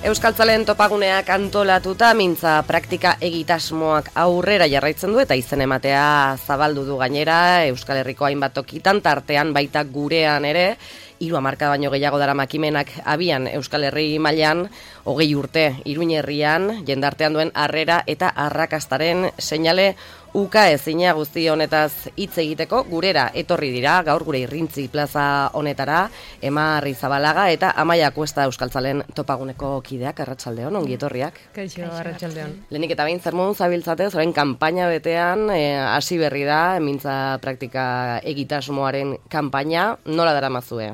Euskaltzalen topaguneak antolatuta mintza praktika egitasmoak aurrera jarraitzen du eta izen ematea zabaldu du gainera Euskal Herriko hainbat tokitan, tartean baita gurean ere, 3 hamarkada baino gehiago dara makimenak abian Euskal Herri mailan, 20 urte Iruin herrian, jendartean duen harrera eta arrakastaren seinale uka ezina guzti honetaz hitz egiteko gurera etorri dira, gaur gure Irrintzi plaza honetara, Ema Arrizabalaga eta Amaia Kuesta Euskaltzalen topaguneko kideak, arratsaldeon, ongi etorriak. Kaixo, arratsaldeon. Lehenik eta behin zer moduz zabiltzate, orain kanpaina betean hasi berri da, mintza praktika egitasmoaren kanpaina, nola daramazue?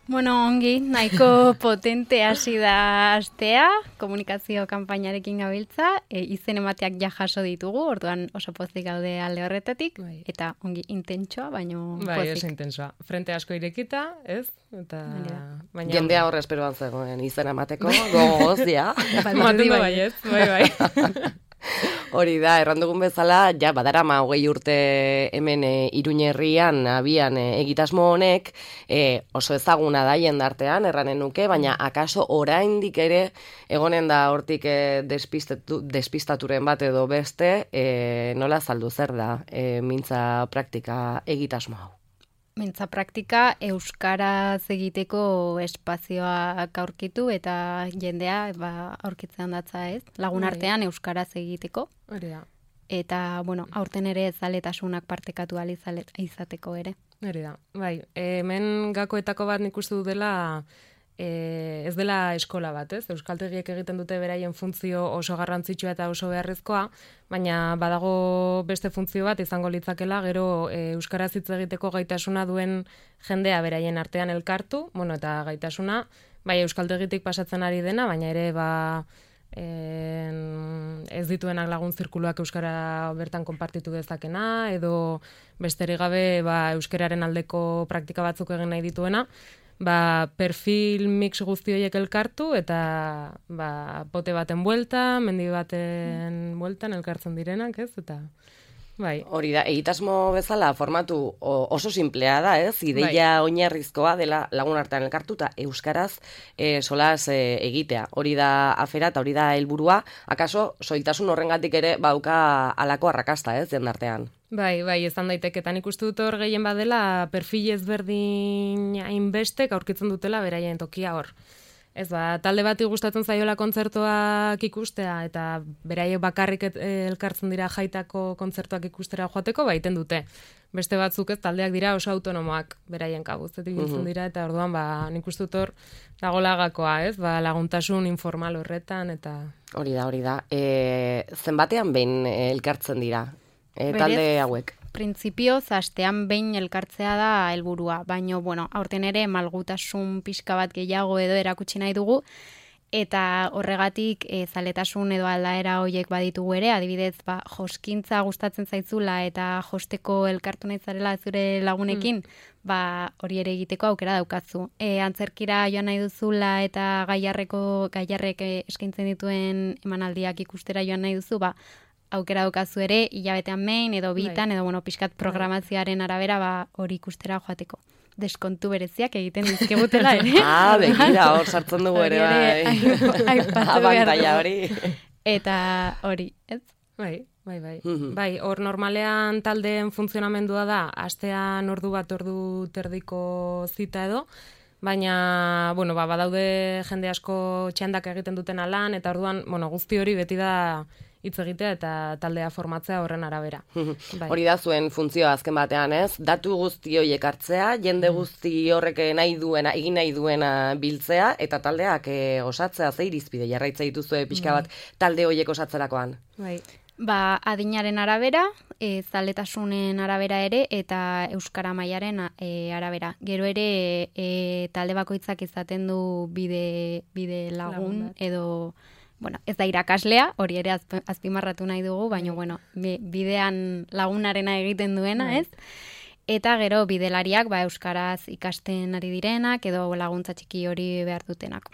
Bueno, ongi, nahiko potente hasi da astea, komunikazio kanpainarekin gabiltza, izen emateak ja jaso ditugu, orduan oso pozik gaude alde horretatik, eta ongi intentsoa, baino bai, pozik. oso intensoa. Frente asko irekita, ez? Eta baina jendea horre esperoan zegoen izen emateko, gogoz, ja. Mantendu bai, ez? Bai. Hori da, errandugun bezala, ja, badarama 20 urte hemen Iruin herrian abian egitasmo honek, oso ezaguna da jendartean, erranen nuke, baina akaso oraindik ere egonen da hortik despistaturen bat edo beste, nola azaldu zer da mintza praktika egitasmo hau? Mintza praktika euskaraz egiteko espazioak aurkitu eta jendea aurkitzen datza, ez? Lagun artean euskaraz egiteko. Hori da. Eta, bueno, aurten ere zaletasunak partekatu ahal izateko ere. Hori da. Bai, hemen gakoetako bat nik uste dut dela ez dela eskola bat, ez? Euskaltegiek egiten dute beraien funtzio oso garrantzitsua eta oso beharrezkoa, baina badago beste funtzio bat izango litzakela, gero euskaraz hitz egiteko gaitasuna duen jendea beraien artean elkartu, bueno, eta gaitasuna, bai euskaltegitik pasatzen ari dena, baina ere ez dituenak lagun zirkuluak euskara bertan konpartitu dezakena, edo besterik gabe euskararen aldeko praktika batzuk egin nahi dituena, perfil mix guzti horiek elkartu eta pote baten buelta, mendi baten bueltan elkartzen direnak, ez? Eta bai. Hori da, egitasmo bezala formatu oso simplea da, ez? Ideia oinarrizkoa dela lagun artean elkartu eta euskaraz solas egitea. Hori da afera eta hori da helburua. Akaso soiltasun horrengatik ere bauka halako arrakasta, ez, jendartean. Bai, izan daiteketan ikustu dut hor gehien badela perfil ezberdin hainbestek aurkitzen dutela beraien tokia hor. Ez talde bati gustatzen zaiola kontzertuak ikustea eta beraiek bakarrik elkartzen dira jaitako kontzertuak ikustera joateko, baiten dute. Beste batzuk ez taldeak dira oso autonomoak beraien kabuz, ibiltzen dira eta orduan nik uste dut hor dagoela gakoa, ez? Laguntasun informal horretan eta Hori da. Zenbatean behin elkartzen dira talde hauek? Printzipioz, astean behin elkartzea da helburua, baina, aurten ere malgutasun pixka bat gehiago edo erakutsi nahi dugu, eta horregatik zaletasun edo aldaera horiek baditugu ere, adibidez, joskintza gustatzen zaitzula eta josteko elkartu nahi zarela zure lagunekin, hori ere egiteko aukera daukazu. Antzerkira joan nahi duzula eta gaiarrek eskaintzen dituen emanaldiak ikustera joan nahi duzu, aukera daukazu ere, hilabetean behin, edo bitan, edo pixkat programazioaren arabera hori ikustera joateko. Deskontu bereziak egiten dizkigutela ere. Begira, hor sartzen dugu ere, abantaila hori. Eta hori, ez? Bai, hor normalean taldeen funtzionamendua da, astean ordu bat, ordu terdiko zita edo, baina, badaude jende asko txandak egiten duten lan, eta orduan, guzti hori beti da hitz egitea eta taldea formatzea horren arabera. Hori da zuen funtzioa azken batean, ez? Datu guzti horiek hartzea, jende guzti horrek egin nahi duena biltzea, eta taldeak osatzea ze irizpide jarraitza dituzue pixka bat talde horiek osatzerakoan. Bai. Adinaren arabera, zaletasunen arabera ere, eta euskara mailaren arabera. Gero ere, talde bakoitzak izaten du bide lagun edo ez da irakaslea, hori ere azpimarratu nahi dugu, baina bidean lagunarena egiten duena, ez? eta gero bidelariak euskaraz ikasten ari direnak edo laguntza txiki hori behar dutenak.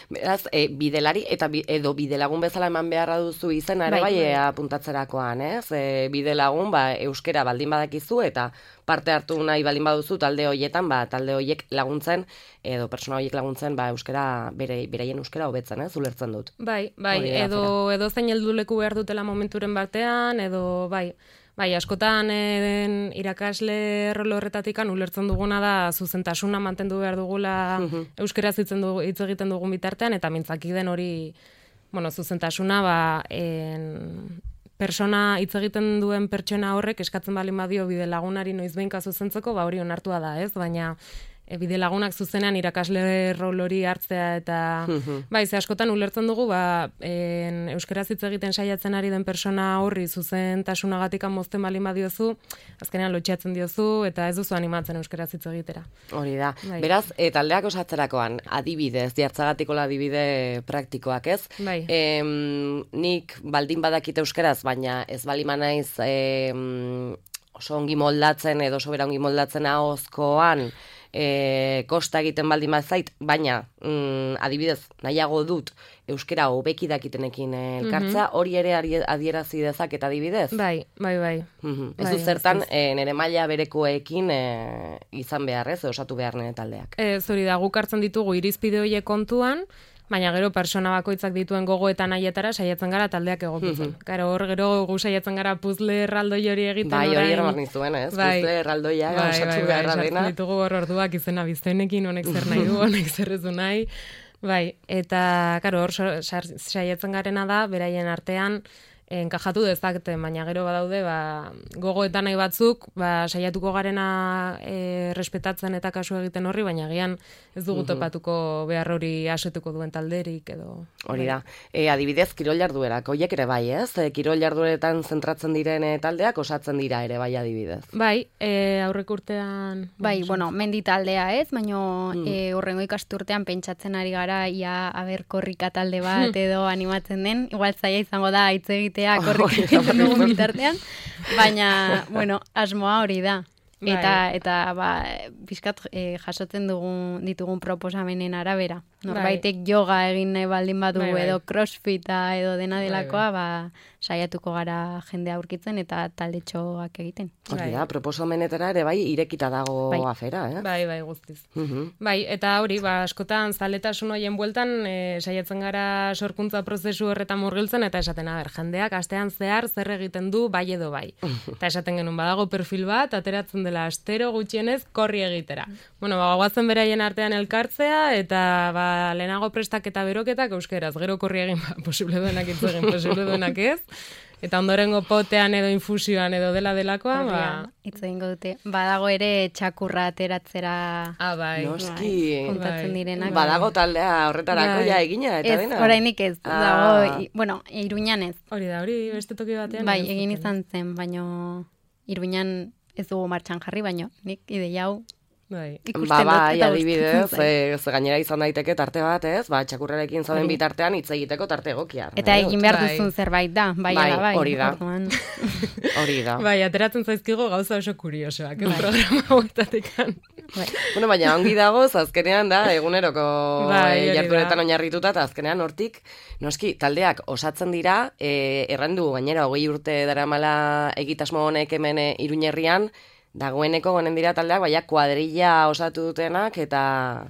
Beraz, bidelari eta edo bidelagun bezala eman beharra duzu izena ere bai apuntatzerakoan, ez? Bidelagun euskera baldin badakizu eta parte hartu nahi baldin baduzu talde hoietan, talde hoiek laguntzen edo persona hoiek laguntzen euskera beraien euskera hobetzen, ulertzen dut. Bai, edo zein helduleku behar dutela momenturen batean edo Bai, askotan irakasle rol horretatikan ulertzen duguna da zuzentasuna mantendu behar dugula euskeraz hitz egiten dugun bitartean, eta mintzaki den hori, zuzentasuna persona hitz egiten duen pertsona horrek eskatzen baldin badio bidelagunari noizbehinka zuzentzeko, hori onartua da, ez? Baina bidelagunak zuzenean irakasle rol hori hartzea eta ze askotan ulertzen dugu euskeraz hitz egiten saiatzen ari den persona horri zuzentasunagatik mozten baldin badiozu, azkenean lotxatzen diozu eta ez duzu animatzen euskeraz hitz egitera. Hori da. Beraz, taldeak osatzerakoan adibidez, jartzagatikola adibide praktikoak, ez? Bai. Nik baldin badakit euskeraz, baina ez baldin naiz oso ongi moldatzen edo sobera ongi moldatzen ahozkoan kosta egiten baldin bazait, baina adibidez nahiago dut euskera hobeki dakitenekin elkartza, hori ere adierazi dezaket adibidez? Bai. Ez du zertan nire maila berekoekin izan behar, ez? Osatu behar nire taldeak. Hori da, guk hartzen ditugu irizpide horiek kontuan, baina gero persona bakoitzak dituen gogoeta nahietara saiatzen gara taldeak egokitzen. Gero gu saiatzen gara puzzle erraldoi hori egiten orain. Hori eraman nizuen, ez? Puzzle erraldoia osatu beharra dena. Ditugu orduak izena biztenekin, honek zer nahi du, honek zer ez du nahi. Eta hor saiatzen garena da, beraien artean, enkajatu dezakete, baina gero badaude gogoetan nahi batzuk, saiatuko garena respetatzen eta kasu egiten horri, baina agian ez dugu topatuko behar hori asetuko duen talderik edo. Hori da. Adibidez, kirol jarduerak, horiek ere bai, ez? Kirol jardueretan zentratzen diren taldeak osatzen dira ere bai adibidez. Bai, aurrek urtean... Bai, mendi taldea ez, baina horrengo ikasturtean pentsatzen ari gara ia korrika talde bat edo animatzen den, igual zaila izango da hitz egitea korrika egiten dugun bitartean, baina, asmoa hori da. Eta pixkat jasotzen ditugun proposamenen arabera. Norbaitek yoga egin nahi baldin badu edo crossfita edo dena delakoa, saiatuko gara jendea aurkitzen eta taldetxoak egiten. Hori da, proposamenetara ere irekita dago afera, eh? Bai, guztiz. Eta hori, askotan zaletasun horien bueltan saiatzen gara sorkuntza prozesu horretan murgiltzen eta esaten, jendeak astean zehar zer egiten du bai edo bai. Eta esaten genuen, badago perfil bat, ateratzen dela astero gutxienez korri egitera. Guazen beraien artean elkartzea eta lehenago prestaketa beroketak euskeraz, gero korri egin posible duenak hitz egin, posible duenak ez, eta ondorengo potean edo infusioan edo delakoa, hitz egingo dute. Badago ere txakurra ateratzera noski, kontatzen direnak. Badago taldea horretarako egina eta dena. Ez, orainik ez, dago, Iruñan ez. Hori da, hori beste toki batean. Bai, egin izan zen, baino Iruñan ez dugu martxan jarri, baino nik ideia hau adibidez, gainera izan daiteke tarte bat, ez? Txakurrarekin zauden bitartean hitz egiteko tarte egokia. Eta egin behar duzun zerbait da, bai. Hori da. Hori da. Ateratzen zaizkigo gauza oso kuriosoak, programa hauetatekan. Baina ongi dago, azkenean da, eguneroko jarduretan oinarrituta, eta azkenean hortik, noski, taldeak osatzen dira, errandu gainera 20 urte daramala egitasmo honek hemen Iruñerrian, dagoeneko gonen dira taldeak, kuadrilla osatu dutenak eta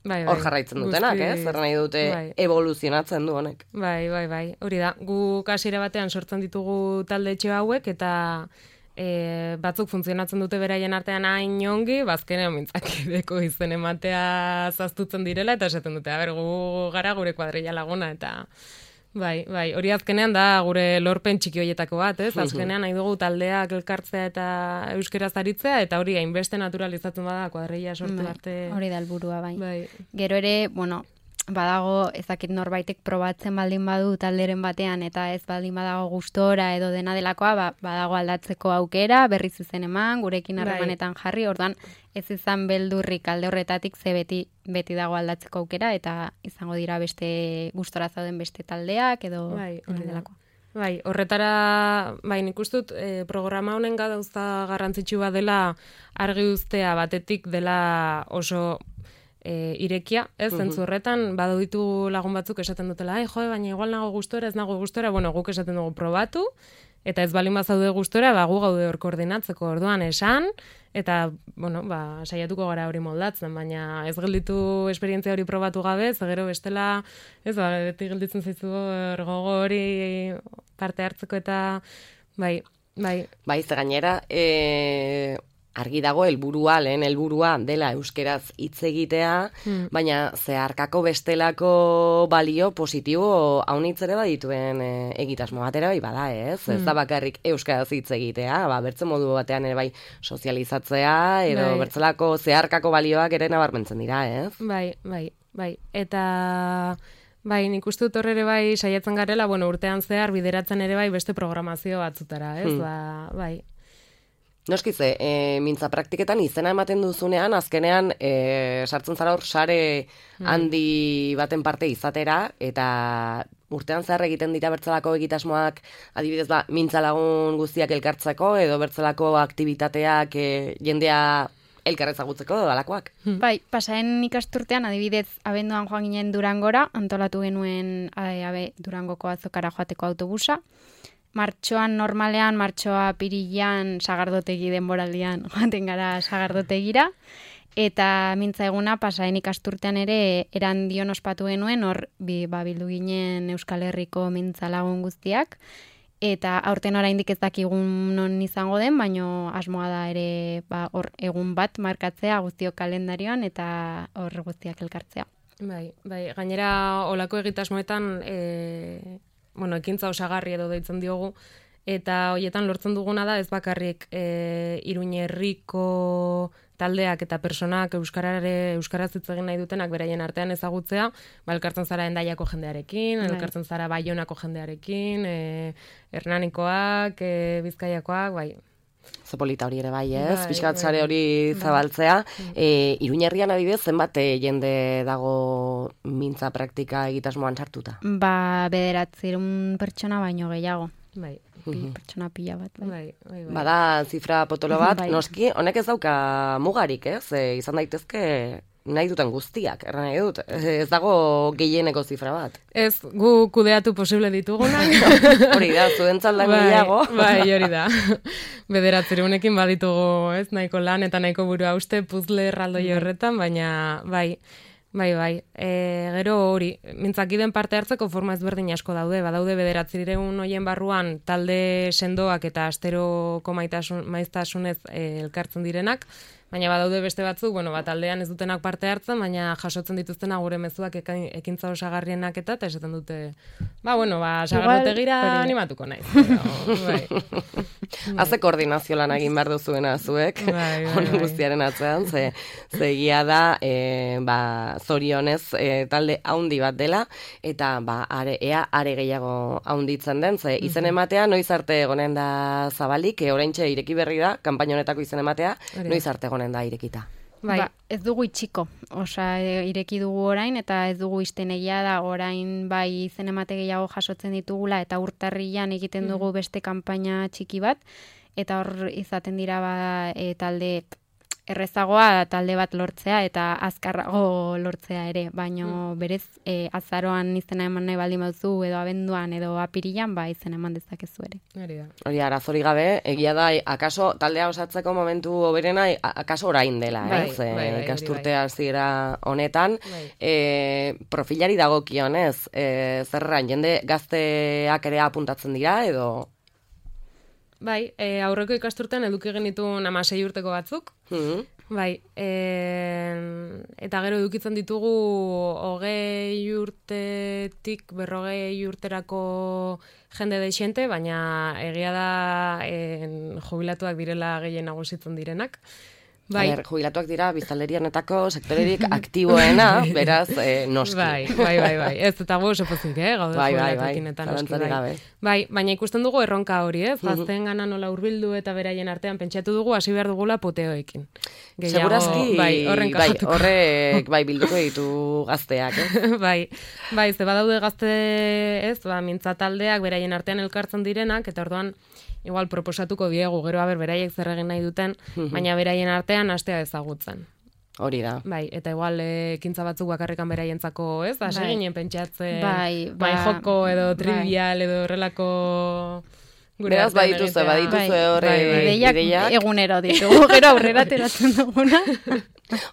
hor jarraitzen dutenak, zer nahi dute evoluzionatzen du honek. Bai, hori da. Gu hasiera batean sortzen ditugu talde etxe hauek eta batzuk funtzionatzen dute beraien artean hain ongi, bazkenean mintzakideko izen ematea zaztutzen direla eta esaten dute, gu gara gure kuadrilla laguna eta... Bai, hori azkenean da gure lorpen txiki hoietako bat, ez? Azkenean nahi dugu taldeak elkartzea eta euskeraz aritzea, eta hori hainbeste naturalizatzen bada kuadrilla sortu arte. Hori da helburua, bai. Gero ere, badago ezakit norbaitek probatzen baldin badu talderen batean eta ez baldin badago gustora edo dena delakoa, badago aldatzeko aukera, berriz izen eman, gurekin harremanetan jarri, orduan ez izan beldurrik alde horretatik ze beti dago aldatzeko aukera eta izango dira beste gustora zauden beste taldeak edo dena delakoa. Bai, horretara, bai, nik uste dut, programa honen gauza garrantzitsu bat dela argi uztea batetik dela oso irekia, ez, zentzu horretan, badu ditu lagun batzuk esaten dutela, baina igual nago gustora, ez nago gustora, bueno, guk esaten dugu probatu, eta ez baldin bazaude gustora, gu gaude hor koordinatzeko orduan esan, eta, bueno, saiatuko gara hori moldatzen, baina ez gelditu esperientzia hori probatu gabe, gero bestela, ez, beti gelditzen zaizu gogo hori parte hartzeko eta, bai. Bai, ze gainera, argi dago lehen helburua dela euskeraz hitz egitea, baina zeharkako bestelako balio positibo haunitz ere badituen egitasmo batera bai bada, ez? Ez da bakarrik euskaraz hitz egitea, bertze modu batean ere bai sozializatzea, edo bertzelako zeharkako balioak ere nabarmentzen dira, ez? Bai. Eta bai, nik uste dut ere bai saiatzen garela, bueno, urtean zehar bideratzen ere bai beste programazio batzutara, ez? Bai. Noskize, mintza praktiketan izena ematen duzunean, azkenean sartzen zara hor sare handi baten parte izatera, eta urtean zehar egiten dira bertzelako egitasmoak, adibidez mintza lagun guztiak elkartzeko, edo bertzelako aktibitateak jendea elkarrezagutzeko edo dalakoak. Bai, pasaren ikasturtean, adibidez, abenduan joan ginen Durangora, antolatu genuen Durangoko azokara joateko autobusa. Martxoan normalean, martxoa pirilan, sagardotegi denboraldian joaten gara sagardotegira, eta mintza eguna pasaren ikasturtean ere Erandion ospatu genuen, hor bildu ginen Euskal Herriko mintza lagun guztiak, eta aurten oraindik ez dakigun non izango den, baino asmoa da ere hor egun bat markatzea guztiok kalendarioan eta hor guztiak elkartzea. Bai, gainera olako egitasmoetan ekintza osagarri edo deitzen diogu, eta hoietan lortzen duguna da ez bakarrik Iruin herriko taldeak eta personak euskaraz hitz egin nahi dutenak beraien artean ezagutzea, elkartzen zara Hendaiako jendearekin, elkartzen zara Baionako jendearekin, Hernanikoak, Bizkaiakoak, bai. Zopolita hori ere bai, ez? Pixkat sare hori zabaltzea. Iruin herrian adibidez, zenbat jende dago mintza praktika egitasmoan sartuta? 900 pertsona baino gehiago. Bai. Pertsona pila bat. Bai. Bada zifra potolo bat, noski, honek ez dauka mugarik, ez? Izan daitezke nahi duten guztiak, erran nahi dut. Ez dago gehieneko zifra bat. Ez, gu kudeatu posible ditugunak. Hori da, zuentzat lan gehiago. Bai, hori da. 900 baditugu, ez, nahiko lan eta nahiko burua uste, puzle erraldoi horretan, baina bai. Gero hori, mintzakiden parte hartzeko forma ezberdin asko daude, badaude 900 hoien barruan talde sendoak eta asteroko maiztasunez elkartzen direnak, baina badaude beste batzuk, taldean ez dutenak parte hartzen, baina jasotzen dituztena gure mezuak ekintza osagarrienak eta esaten dute, sagardotegira animatuko naiz. Haze koordinazio lan egin behar duzuena zuek, honen guztiaren atzean, ze egia da, zorionez talde haundi bat dela, eta ea are gehiago haunditzen den, ze izen ematea noiz arte egonen da zabalik, oraintxe ireki berri da, kanpaina honetako izen ematea, noiz arte egonen da irekita. Ez dugu itxiko, ireki dugu orain, eta ez dugu izten egia da orain bai izen emate gehiago jasotzen ditugula, eta urtarrian egiten dugu beste kanpaina txiki bat, eta hor izaten dira talde errezagoa talde bat lortzea eta azkarrago lortzea ere, baino berez azaroan izena eman nahi baldin baduzu edo abenduan edo apirilan izena eman dezakezu ere. Hori arazori gabe, egia da, akaso taldea osatzeko momentu hoberena, akaso orain dela, ez? Ikasturtea hasiera honetan, profilari dagokionez, zerran, jende gazteak ere apuntatzen dira, edo... Bai, aurreko ikasturtean eduki genituen 16 urteko batzuk. Bai, eta gero edukitzen ditugu 20 urtetik 40 urterako jende deixente, baina egia da jubilatuak direla gehien nagusitzen direnak. Bai. Jubilatuak dira biztanlerianetako sektorerik aktiboena, beraz, noski. Bai. Ez eta gu oso pozik, gaude jubilatuekin eta noski. Bai, baina ikusten dugu erronka hori, gazteen gana nola hurbildu eta beraien artean pentsatu dugu hasi behar dugula puteoekin. Segurazki, horrek bilduko ditu gazteak, Bai, ze badaude gazte, mintza taldeak beraien artean elkartzen direnak, eta orduan igual proposatuko diegu, gero beraiek zer egin nahi duten, baina beraien artean hastea ezagutzen. Hori da. Bai, eta igual ekintza batzuk bakarrikan beraientzako, hasi ginen pentsatzen, bai joko edo trivial edo horrelako... Beraz, badituzue horre ideiak egunero ditugu, gero aurrera teratzen duguna.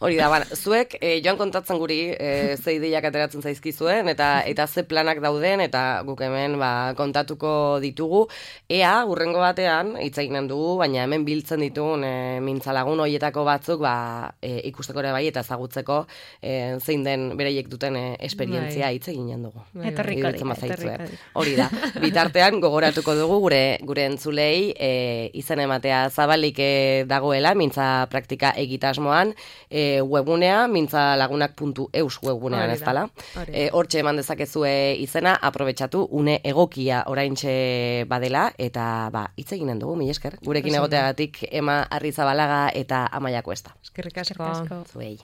Hori da, zuek joan kontatzen guri ze ideiak ateratzen zaizkizuen eta ze planak dauden eta guk hemen kontatuko ditugu. Ea, hurrengo batean, hitz eginen dugu, baina hemen biltzen ditugun mintzalagun horietako batzuk ikusteko ere bai eta ezagutzeko zein den bereiek duten esperientzia hitz eginen dugu. Etorriko Hori da, bitartean gogoratuko dugu gure entzulei izen ematea zabalik dagoela mintza praktika egitasmoan, webgunea, mintzalagunak.eus webgunean ez dala. Hortxe eman dezakezue izena, aprobetxatu une egokia oraintxe badela, eta hitz eginen dugu, mila esker. Gurekin egoteagatik Ema Arrizabalaga eta Amaia Kuesta. Eskerrik asko. Zuei.